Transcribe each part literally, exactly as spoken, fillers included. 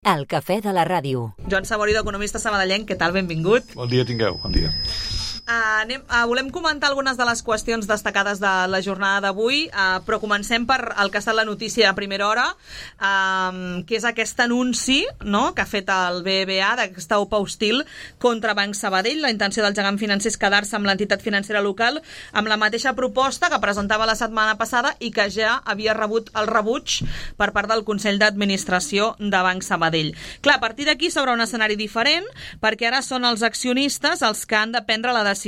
El cafè de la ràdio. Joan Saborido, economista sabadellenc, què tal? Benvingut. Bon dia tingueu, bon dia. Uh, anem, uh, volem comentar algunes de les qüestions destacades de la jornada d'avui, uh, però comencem per el que ha estat la notícia a primera hora, uh, que és aquest anunci, no?, que ha fet el B B V A d'aquesta O P A hostil contra Banc Sabadell. La intenció del gegant financer és quedar-se amb l'entitat financera local amb la mateixa proposta que presentava la setmana passada i que ja havia rebut el rebuig per part del Consell d'Administració de Banc Sabadell. Clar, a partir d'aquí s'obre un escenari diferent, perquè ara són els accionistes els que han de prendre la decisió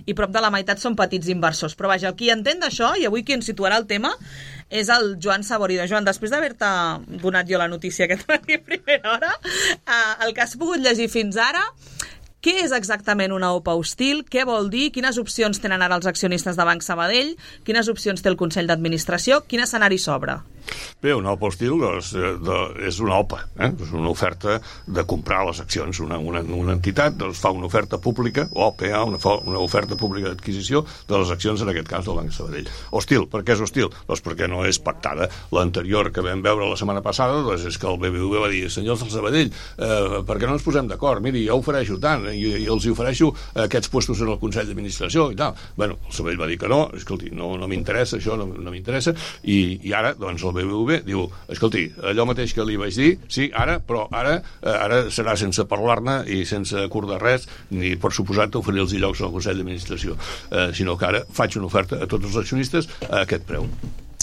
i prop de la meitat són petits inversors. Però vaja, qui entén d'això, i avui qui ens situarà el tema, és el Joan Saborido. Joan, després d'haver-te donat jo la notícia aquest matí a primera hora, eh, el que has pogut llegir fins ara, què és exactament una O P A hostil? Què vol dir? Quines opcions tenen ara els accionistes de Banc Sabadell? Quines opcions té el Consell d'Administració? Quin escenari s'obre? Bé, una O P A hostil doncs, de, és una O P A, eh? És una oferta de comprar les accions. Una, una, una entitat doncs, fa una oferta pública, O P A, una, una oferta pública d'adquisició de les accions, en aquest cas del Banc Sabadell. Hostil, per què és hostil? Doncs perquè no és pactada. L'anterior que vam veure la setmana passada doncs, és que el B B V va dir: senyors del Sabadell, eh, per què no ens posem d'acord? Miri, jo ofereixo tant, i, i els ofereixo aquests puestos en el Consell d'Administració i tal. Bueno, el Sabadell va dir que no, escolti, no, no m'interessa això, no, no m'interessa, i, i ara, doncs, el B B V diu: escolti, allò mateix que li vaig dir, sí, ara, però ara eh, ara serà sense parlar-ne i sense acordar res, ni per suposat oferir-los llocs al Consell d'Administració, eh, sinó que ara faig una oferta a tots els accionistes a aquest preu.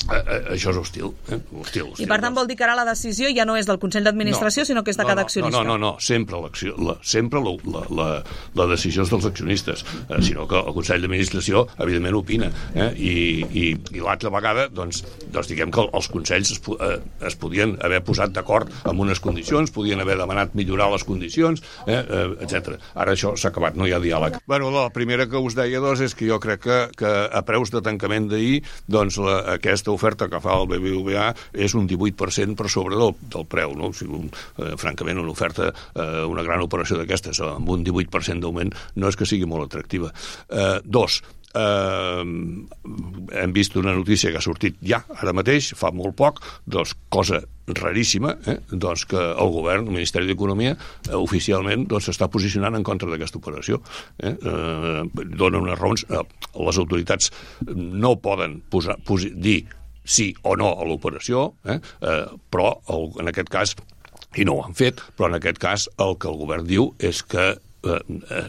Uh, uh, això és hostil, eh? hostil, hostil. I per tant vol dir que ara la decisió ja no és del Consell d'Administració, no, sinó que és de no, cada no, accionista. No, no, no, no. sempre, la, sempre la, la, la, la decisió és dels accionistes, eh, sinó que el Consell d'Administració evidentment opina, eh? I, i, i l'altra vegada doncs, doncs diguem que els consells es, eh, es podien haver posat d'acord amb unes condicions, podien haver demanat millorar les condicions, eh, eh, etcètera. Ara això s'ha acabat, no hi ha diàleg. Bueno, la primera que us deia doncs, és que jo crec que, que a preus de tancament d'ahir, doncs la, aquesta oferta que fa el B B V A és un divuit per cent per sobre del, del preu, no? O sigui, un, eh, francament, una oferta, eh, una gran operació d'aquestes amb un divuit per cent d'augment no és que sigui molt atractiva. Eh, dos, Uh, hem vist una notícia que ha sortit ja, ara mateix, fa molt poc, doncs cosa raríssima, eh? doncs que el govern, el Ministeri d'Economia, eh, oficialment doncs, s'està posicionant en contra d'aquesta operació. Eh? Uh, dona unes raons. Uh, les autoritats no poden posar, posi, dir sí o no a l'operació, eh? uh, però el, en aquest cas, i no ho han fet, però en aquest cas el que el govern diu és que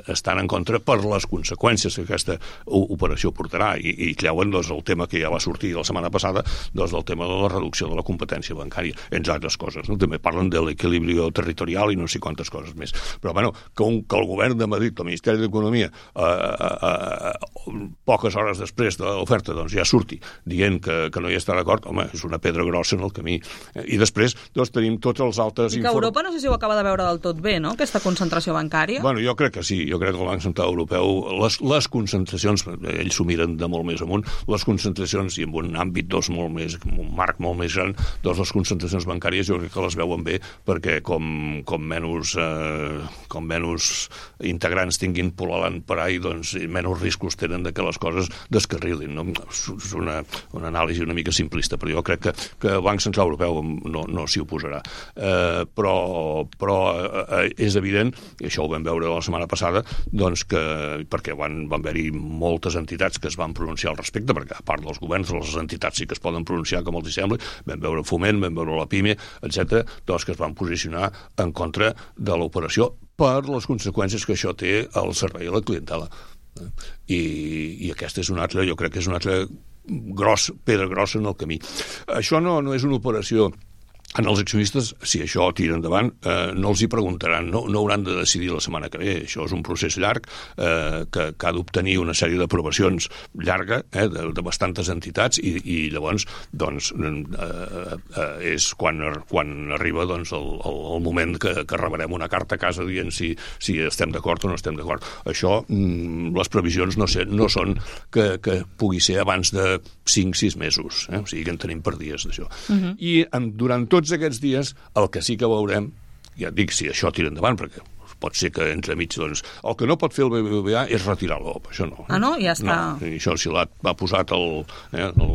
estan en contra per les conseqüències que aquesta operació portarà i, i creuen doncs, el tema que ja va sortir la setmana passada, doncs, el tema de la reducció de la competència bancària, entre altres coses, no? També parlen de l'equilibri territorial i no sé quantes coses més. Però bueno, que, un, que el govern de Madrid, el Ministeri d'Economia, eh, eh, eh, poques hores després de l'oferta doncs, ja surti dient que, que no hi està d'acord, home, és una pedra grossa en el camí. I després doncs, tenim tots els altres... I que Europa no sé si ho acaba de veure del tot bé, no?, aquesta concentració bancària. Bueno, jo crec que sí, jo crec que el Banc Central Europeu, les, les concentracions, ells s'ho miren de molt més amunt, les concentracions, i en un àmbit doncs, molt més, un marc molt més gran, doncs les concentracions bancàries jo crec que les veuen bé, perquè com, com menys eh, com menys integrants tinguin pol·lulant per ahí, doncs menys riscos tenen de que les coses descarrilin, no? És una, una anàlisi una mica simplista, però jo crec que, que el Banc Central Europeu no, no s'hi oposarà. Eh, però però eh, és evident, i això ho vam veure la setmana passada, doncs que, perquè van, van haver-hi moltes entitats que es van pronunciar al respecte, perquè a part dels governs, les entitats sí que es poden pronunciar com els sembla, vam veure Foment, vam veure la PIME, etcètera, doncs que es van posicionar en contra de l'operació per les conseqüències que això té al servei a la clientela. I, i aquesta és una altra, jo crec que és una altra gros, pedra grossa en el camí. Això no, no és una operació. En els accionistes, si això tira endavant, eh, no els hi preguntaran, no, no hauran de decidir la setmana que ve. Això és un procés llarg eh, que, que ha d'obtenir una sèrie d'aprovacions llarga, eh, de, de bastantes entitats, i, i llavors doncs, eh, eh, és quan, quan arriba doncs, el, el, el moment que, que rebrem una carta a casa dient si, si estem d'acord o no estem d'acord. Això, mm, les previsions no, sé, no són que, que pugui ser abans de cinc sis mesos, eh? O sigui que en tenim per dies d'això. Uh-huh. I en, durant tots aquests dies, el que sí que veurem, ja et dic, si això tira endavant, perquè pot ser que entremig, doncs, el que no pot fer el B B V A és retirar l'O P, això no. Eh? Ah, no? Ja està. No, i això si l'ha posat el, eh, el,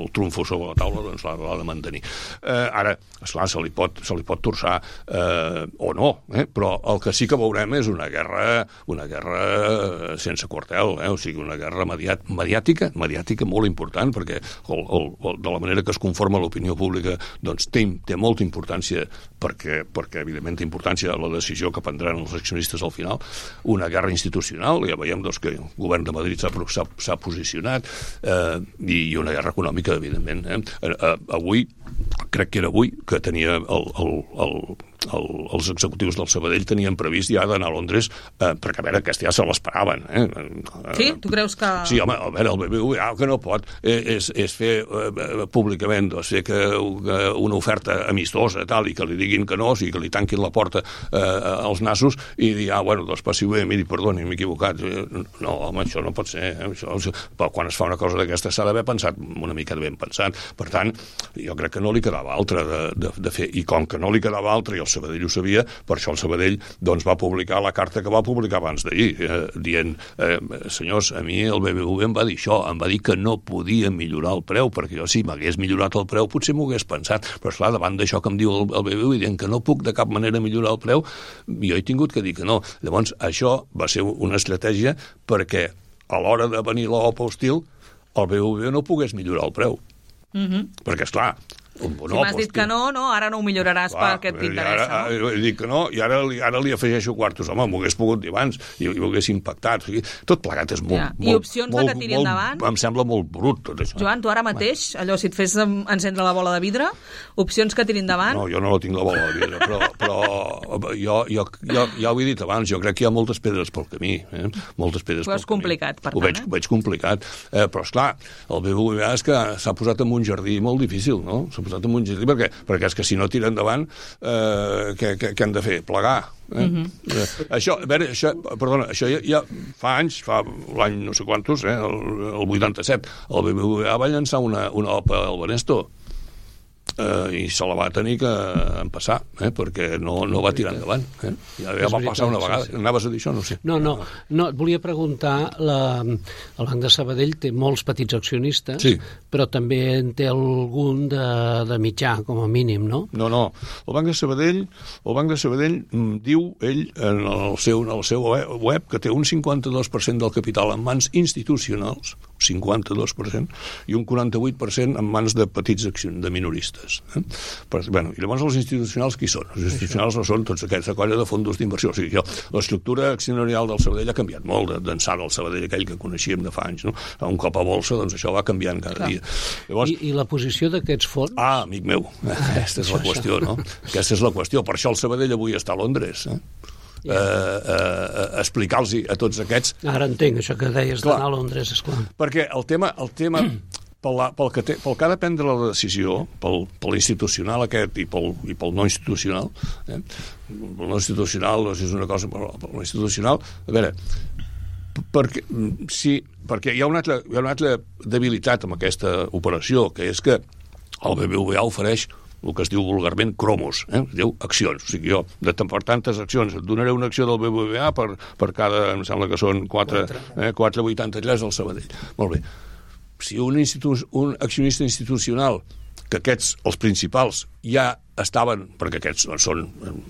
el trumfo sobre la taula, doncs l'ha de mantenir. Eh, ara, esclar, se li pot, se li pot torçar eh, o no, eh? Però el que sí que veurem és una guerra, una guerra sense quartel, eh? O sigui, una guerra mediàt, mediàtica, mediàtica molt important, perquè el, el, el, de la manera que es conforma l'opinió pública doncs té, té molta importància perquè, perquè evidentment té importància la decisió que prendran els accionistes al final. Una guerra institucional, ja veiem doncs, que el govern de Madrid s'ha posicionat, eh, i una guerra econòmica, evidentment. Eh? Eh, avui, crec que era avui, que tenia el, el, el El, els executius del Sabadell tenien previst ja d'anar a Londres, eh, perquè a veure, aquesta ja se l'esperaven. Eh? Sí? Tu creus que... Sí, home, a veure, el B B V A el que no pot és, és fer eh, públicament, doncs, fer que, que una oferta amistosa tal, i que li diguin que no, o sigui, que li tanquin la porta eh, als nassos i dir, ah, bueno, doncs passi bé, miri, perdoni, m'he equivocat. No, home, això no pot ser. Eh? Això, però quan es fa una cosa d'aquesta s'ha d'haver pensat una mica ben pensat. Per tant, jo crec que no li quedava altra de, de, de fer, i com que no li quedava altra, i el Sabadell ho sabia, per això el Sabadell doncs, va publicar la carta que va publicar abans d'ahir, eh, dient, eh, senyors, a mi el B B V em va dir això, em va dir que no podia millorar el preu, perquè jo si m'hagués millorat el preu potser m'ho hagués pensat, però esclar, davant d'això que em diu el, el B B V dient que no puc de cap manera millorar el preu, jo he tingut que dir que no. Llavors, això va ser una estratègia perquè a l'hora de venir l'O P A hostil, el B B V no pogués millorar el preu. Mm-hmm. Perquè, esclar, Un si m'has dit que no, no, ara no ho milloraràs clar, perquè t'interessa. Ara, no? He dit que no, i ara, ara li afegeixo quartos. Home, m'ho hagués pogut dir abans, i, i ho hagués impactat. O sigui, tot plegat és molt... Ja. I molt, opcions molt, de que tiri molt, endavant? Em sembla molt brut, tot això. Joan, tu ara mateix, allò, si et fes encendre la bola de vidre, opcions que tiri endavant? No, jo no la tinc la bola de vidre, però, però jo, jo, jo, ja ho he dit abans, jo crec que hi ha moltes pedres pel camí. Eh? Moltes pedres pel camí. Ho veig complicat, per tant. Ho veig, eh? veig complicat. Eh, però, esclar, el B B V A és que s'ha posat en un jardí molt difícil, no? S'ha posat en un jardí perquè perquè és que si no tira endavant, eh, què, què, què han de fer? Plegar. Eh? Mm-hmm. eh, això, a veure, això, perdona, això ja, ja fa anys, fa l'any no sé quantos, eh, el, el vuitanta-set, el B B V A va llançar una, una O P A al Banesto, eh, i se la va tenir que empassar, eh, perquè no, no va tirar endavant. Eh? Ja, ja va passar una vegada. Sí, sí. Anaves a dir això? No sé. No, no, no et volia preguntar, la, el Banc de Sabadell té molts petits accionistes, sí, però també en té algun de, de mitjà, com a mínim, no? No, no. El Banc de Sabadell, el Banc de Sabadell diu, ell, en el seu, en el seu web, que té un cinquanta-dos per cent del capital en mans institucionals, cinquanta-dos per cent, i un quaranta-vuit per cent en mans de petits accions, de minoristes. Eh? Però, bueno, i llavors els institucionals qui són? Els institucionals no són tots aquesta colla de fondos d'inversió. O sigui, l'estructura accionarial del Sabadell ha canviat molt, d'ençà del Sabadell aquell que coneixíem de fa anys. No? Un cop a bolsa, doncs això va canviant cada Clar. dia. Llavors, I, I la posició d'aquests fons? Ah, amic meu, aquesta és la qüestió, no? Aquesta és la qüestió. Per això el Sabadell avui està a Londres, eh? Yeah. Uh, uh, explicar-los a tots aquests... Ara entenc això que deies d'anar a Londres, esclar. Perquè el tema, el tema pel, la, pel, que té, pel que ha de prendre la decisió, pel, pel institucional aquest i pel, i pel no institucional, eh? El no institucional doncs és una cosa, però pel institucional, a veure, perquè, sí, perquè hi ha una altra, hi ha una altra debilitat amb aquesta operació, que és que el B B V A ofereix el que es diu vulgarment cromos, eh? Es diu accions. O sigui, jo, de per tantes accions, et donaré una acció del B B V A per, per cada, em sembla que són quatre coma vuitanta-tres al Sabadell. Molt bé. Si un, institu un accionista institucional, que aquests, els principals, ja estaven, perquè aquests doncs, són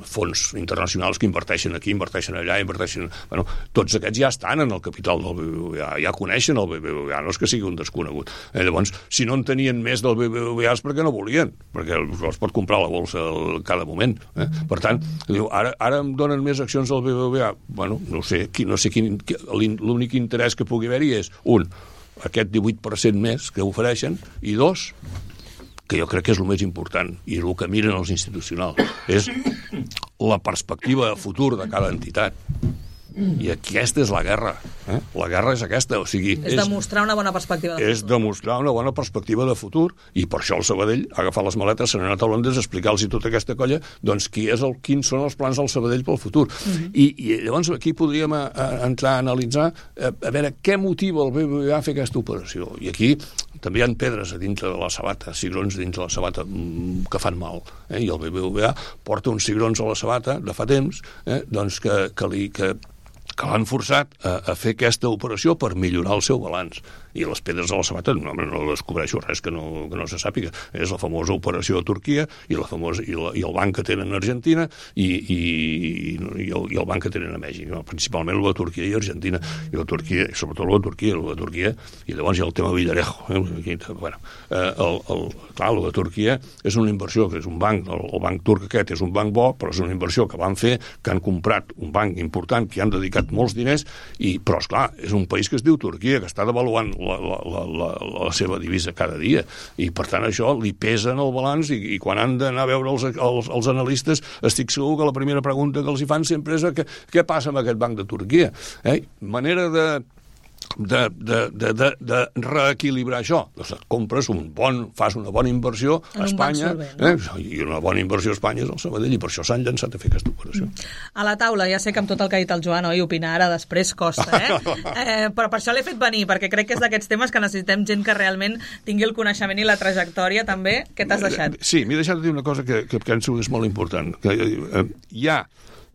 fons internacionals que inverteixen aquí, inverteixen allà, inverteixen... Bueno, tots aquests ja estan en el capital del B B V A, ja coneixen el B B V A, no és que sigui un desconegut. Eh, llavors, si no en tenien més del B B V A és perquè no volien, perquè els pot comprar a la bolsa cada moment. Eh? Per tant, diu, ara, ara em donen més accions del B B V A. Bueno, no sé, no sé quin... L'únic interès que pugui haver-hi és, un, aquest divuit per cent més que ofereixen, i dos, que jo crec que és el més important, i el que miren els institucionals, és la perspectiva de futur de cada entitat. I aquesta és la guerra. Eh? La guerra és aquesta. O sigui, és, és demostrar una bona perspectiva de futur. És demostrar una bona perspectiva de futur, i per això el Sabadell ha agafat les maletes, s'ha anat a Londres a explicar-los tota aquesta colla doncs qui és el, quins són els plans del Sabadell pel futur. Uh-huh. I, I llavors aquí podríem a, a entrar a analitzar a, a veure què motiva el B B V A a fer aquesta operació. I aquí també hi ha pedres a dintre de la sabata, cigrons dintre de la sabata que fan mal, eh? I el B B V A porta uns cigrons a la sabata de fa temps, eh? doncs que, que, li, que, que l'han forçat a, a fer aquesta operació per millorar el seu balanç. I les pedres a la sabata, no, no descobreixo res que no, que no se sàpiga. És la famosa operació a Turquia i, la famosa, i, la, i el banc que tenen a Argentina i, i, i, el, i el banc que tenen a Mèxic. No? Principalment el de Turquia i Argentina. I la Turquia, i sobretot el de Turquia, el de Turquia, i llavors hi ha el tema Villarejo. Eh? Aquí, bueno, eh, el, el, clar, el de Turquia és una inversió, que és un banc, el, el banc turc aquest és un banc bo, però és una inversió que van fer, que han comprat un banc important, que hi han dedicat molts diners, i, però, esclar, és un país que es diu Turquia, que està devaluant La, la, la, la seva divisa cada dia, i per tant això li pesa en el balanç, i, i quan han d'anar a veure els, els, els analistes estic segur que la primera pregunta que els hi fan sempre és què, què passa amb aquest banc de Turquia, eh? Manera de De, de, de, de, de reequilibrar això. Doncs compres un bon, fas una bona inversió a Espanya, solvent, no? eh? I una bona inversió a Espanya és el Sabadell, i per això s'han llançat a fer aquesta operació. A la taula, ja sé que amb tot el que ha dit el Joan, oi, opinar ara després costa, eh? eh però per això l'he fet venir, perquè crec que és d'aquests temes que necessitem gent que realment tingui el coneixement i la trajectòria també. Què t'has deixat? Sí, m'he deixat de dir una cosa que, que penso que és molt important. Que, eh, hi ha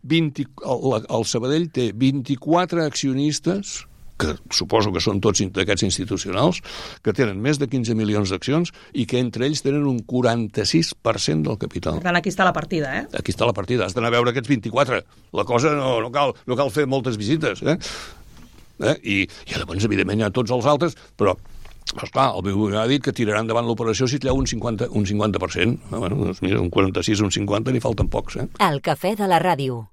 vint, el, el Sabadell té vint-i-quatre accionistes, que suposo que són tots d'aquests institucionals, que tenen més de quinze milions d'accions i que entre ells tenen un quaranta-sis per cent del capital. Per tant, aquí està la partida, eh? Aquí està la partida. Has d'anar a veure aquests vint-i-quatre. La cosa no, no, cal, no cal fer moltes visites, eh? eh? I, I llavors, evidentment, hi ha tots els altres, però esclar, el B B V A ha dit que tiraran davant l'operació si treu un cinquanta, un cinquanta per cent. Bueno, doncs mira, un quaranta-sis, un cinquanta, n'hi falten pocs, eh? El cafè de la ràdio.